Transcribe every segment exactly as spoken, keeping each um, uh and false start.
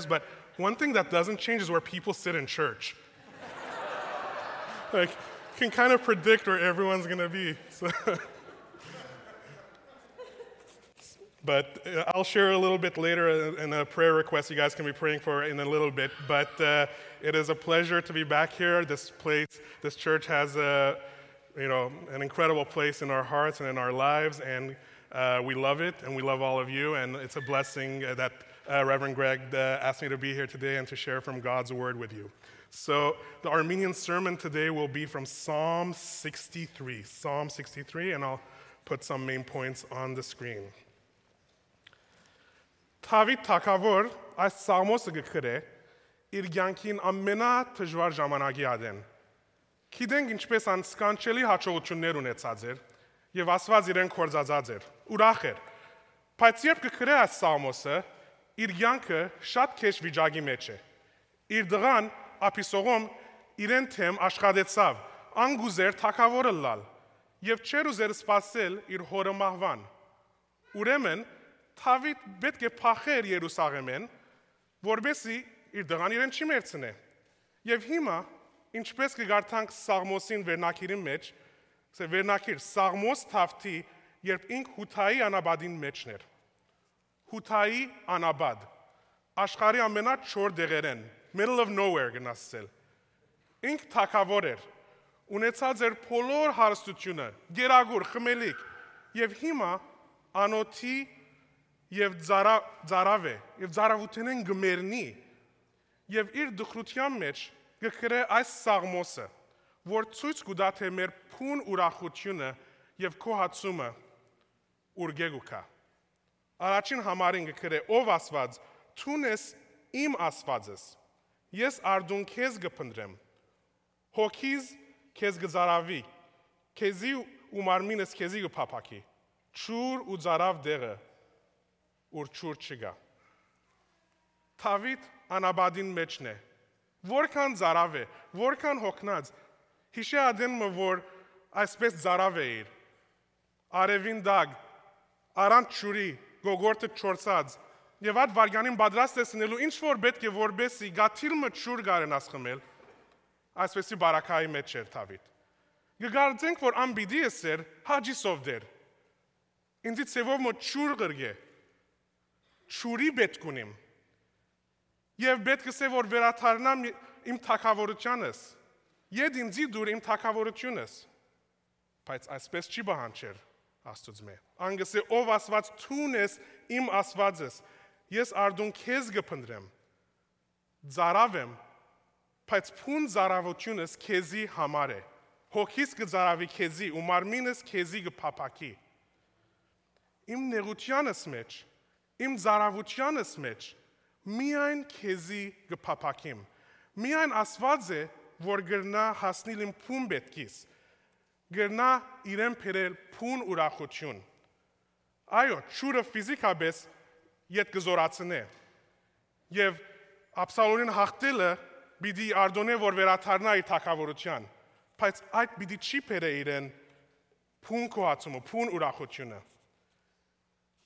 But one thing that doesn't change is where people sit in church. Like, you can kind of predict where everyone's going to be. So. But uh, I'll share a little bit later in a prayer request you guys can be praying for in a little bit. But uh, it is a pleasure to be back here. This place, this church has a, you know, an incredible place in our hearts and in our lives, and uh, we love it, and we love all of you. And it's a blessing that uh, Reverend Greg uh, asked me to be here today and to share from God's word with you. So the Armenian sermon today will be from Psalm sixty-three. Psalm sixty-three, and I'll put some main points on the screen. Թավիթ թագավոր այս սաղմոսը գքրե իր կյանքին ամենաթժվար ժամանակի ադեն։ Գիտենք ինչպես անսկանչելի հաջողություններ ունեցած էր եւ Աստված իրեն կորզածած էր, ուրախ էր։ Բայց երբ գքրե այս սաղմոսը, իր կյանքը շատ քեջ վիճակի մեջ է։ Իր դղան Ափիսողոմ իրեն թեմ աշխատեցավ, անգուզեր թագավորը լալ եւ չեր ուզեր սпасել իր հորը մահվան։ Ուրեմն Թավիթ պետք է փախեր Երուսաղեմեն, որովհետեւ իր դղան իրեն չի մերցնե։ Եվ հիմա, ինչպես կգարտանք Սաղմոսին վերնակիրի մեջ, սա վերնակիր Սաղմոս Թավթի, երբ ինք Հութայի անաբադին մեջն էր։ Հութայի անաբադ, աշխարհի ամենաչոր դեղերեն, middle of nowhere գնացել։ Ինք թագավոր էր, ունեցած էր բոլոր հարստությունը, գերագուր, խմելիք, եւ հիմա անոթի եւ ծարավ է, եւ ծարավութենեն գմերնի, եւ իր դխրության մեջ գքրե այս սաղմոսը, որ ցույց կուտա թե մեր փուն ուրախությունը եւ քոհացումը ուրգեգուկա։ Առաջին համարին գքրե ով Աստված, ցունես իմ Աստվածս, ես արդուն քեզ գփնտրեմ, հոգիս քեզ գծարավի, քեզի ու մարմինս քեզի գփափակի, ճուր ու ծարավ դեղը ուր ճուր չգա։ Թավիթ անաբադին մեջն է, որքան ծարավ է, որքան հոգնած, հիշե ադենը, որ այսպես ծարավ է իր, արևին դագ, առանց ճուրի, գոգորտը չորցած, եւ այդ վարգանին պատրաստ տեսնելու ինչ որ պետք է որբեսի գաթիլը ճուր գարենաս խմել, այսպեսի բարակայի մեջ էր Թավիթ։ Գգարձենք, որ ամբիդի էսեր հաջիսով դեր, ինձի ծևով մոտ ճուր գրգե, ճուրի պետք ունիմ, եւ պետք է որ վերաթարնամ իմ թագավորությանս, եդ ինձի դուր իմ թագավորությունս, բայց այսպես չի բանջեր Աստծո։ Անգսե ով Աստված ցունես իմ Աստվածս, ես արդուն քեզ գփնտրեմ, ծարավեմ, բայց փուն ծարավությունս քեզի համար է, հոգիս կծարավի քեզի ու մարմինս քեզի գփափակի։ Իմ նեղությանս մեջ, իմ ծարավությանս մեջ միայն քեզի գփափակիմ, միայն Աստված է, որ գրնա հասնել իմ փուն պետքիս, գրնա իրեն փերել փուն ուրախություն։ Այո, ճուրը ֆիզիկապես ետ կզորացնե, եւ Աբսալոմին հաղթելը պիտի արդոնե, որ վերաթարնա իր թագավորության, բայց այդ պիտի չի փերե իրեն փուն կոհացումը, փուն ուրախությունը։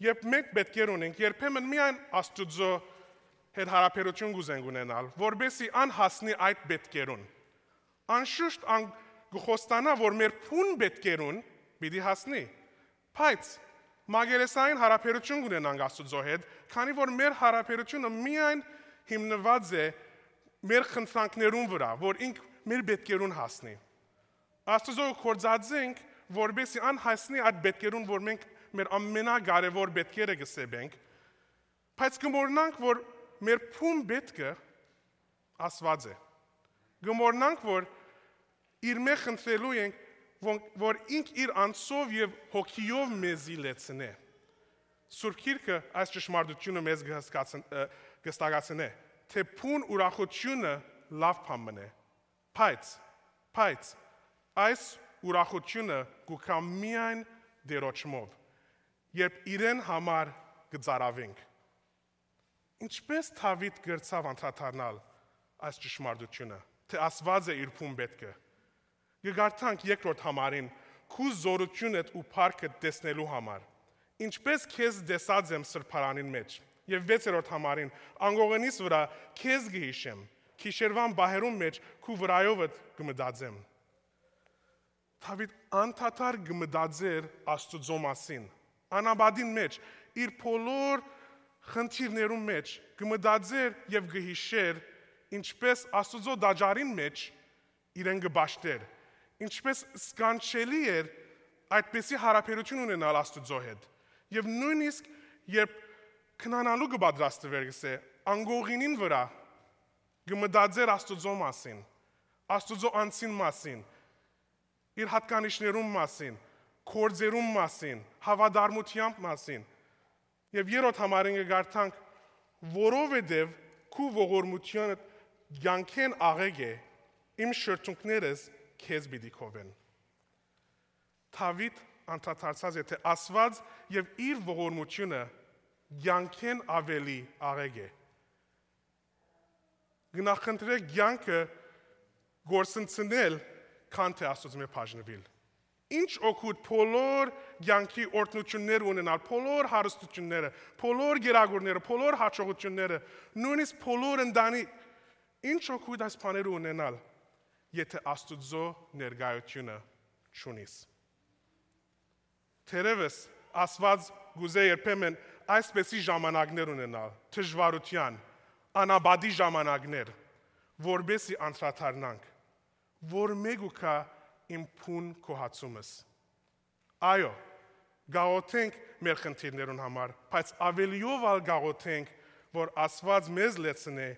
Երբ մենք պետք է ունենք, երբեմն միայն Աստծո հետ հարաբերություն գուզենք ունենալ, որբեսի անհասնի այդ պետքերուն։ Անշուշտ ան գխոստանա, որ մեր փուն պետքերուն պիտի հասնի, բայց մագերեսային հարաբերություն ունենանք Աստծո հետ, քանի որ մեր հարաբերությունը միայն հիմնված է մեր խնդրանքներուն վրա, որ ինք մեր պետքերուն հասնի։ Աստծո կորձածենք, որբեսի անհասնի այդ պետքերուն, որ մենք մեր ամենակարևոր պետքերը գսեբենք, բայց գմորնանք, որ մեր փուն պետքը Աստված է։ Գմորնանք, որ իր մեջ խնդրելու ենք, որ ինք իր անձով եւ հոգիով մեզի լեցնե։ Սուրբ Գիրքը այս ճշմարտությունը մեզ կհստակացնե, թե փուն ուրախությունը լավ բան է, բայց, բայց այս ուրախությունը գուքա միայն դերոճմով, երբ իրեն համար կծարավենք։ Ինչպես Թավիթ գրծավ անդրադառնալ այս ճշմարտությունը, թե Աստված է իր փուն պետքը։ Գգարտանք երկրորդ համարին, քու զորությունդ ու փառքը տեսնելու համար։ Ինչպես քեզ դեսած եմ սրբարանին մեջ, Եվ վեցերորդ համարին անգողենիս վրա քեզ գհիշեմ, քիշերվան բահերում մեջ քու վրայովդ կմտածեմ։ Դավիթ անդադար կմտածեր Աստծո մասին, անաբադին մեջ, իր բոլոր խնդիրներում մեջ կմտածեր եւ կհիշեր, ինչպես Աստծո դաջարին մեջ իրեն կբաշտեր, ինչպես սկանչելի էր այդպեսի հարաբերություն ունենալ Աստծո հետ։ Եվ նույնիսկ երբ քնանալու կպատրաստվեր, գսե, անգողինին վրա կմտածեր Աստծո մասին, Աստծո անձին մասին, իր հատկանիշներում մասին, կորձերում մասին, հավատարմության մասին։ Եվ երրորդ համարին կգարտանք, որովհետև քու ողորմությունը յանքեն աղեգ է, իմ շրթունքներս քեզ պիտի քովեն։ Դավիթ անդադարձած է, թե Աստված եւ իր ողորմությունը յանքեն ավելի աղեգ է։ Գնահքնդրեք յանքը գործընծնել, քան թե Աստծո մեջ բաժնվել։ Ինչ օգուտ բոլոր յանքի օրհնություններ ունենալ, բոլոր հարստությունները, բոլոր գերագուրները, բոլոր հաջողությունները, նույնիսկ բոլոր ընտանի, ինչ օգուտ այս բաները ունենալ, եթե Աստծո ներկայությունը չունիս։ Թերևս Աստված գուզե երբեմն այսպեսի ժամանակներ ունենալ, դժվարության, անաբադի ժամանակներ, որբեսի անդրադառնանք, որ մեգուկա իմ փուն կոհացումս։ Այո, գաղութենք մեր խնդիրներուն համար, բայց ավելիով ալ գաղութենք, որ Աստված մեզ լեցնե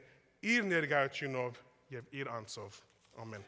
իր ներկայությունով եւ իր անձով։ Ամեն։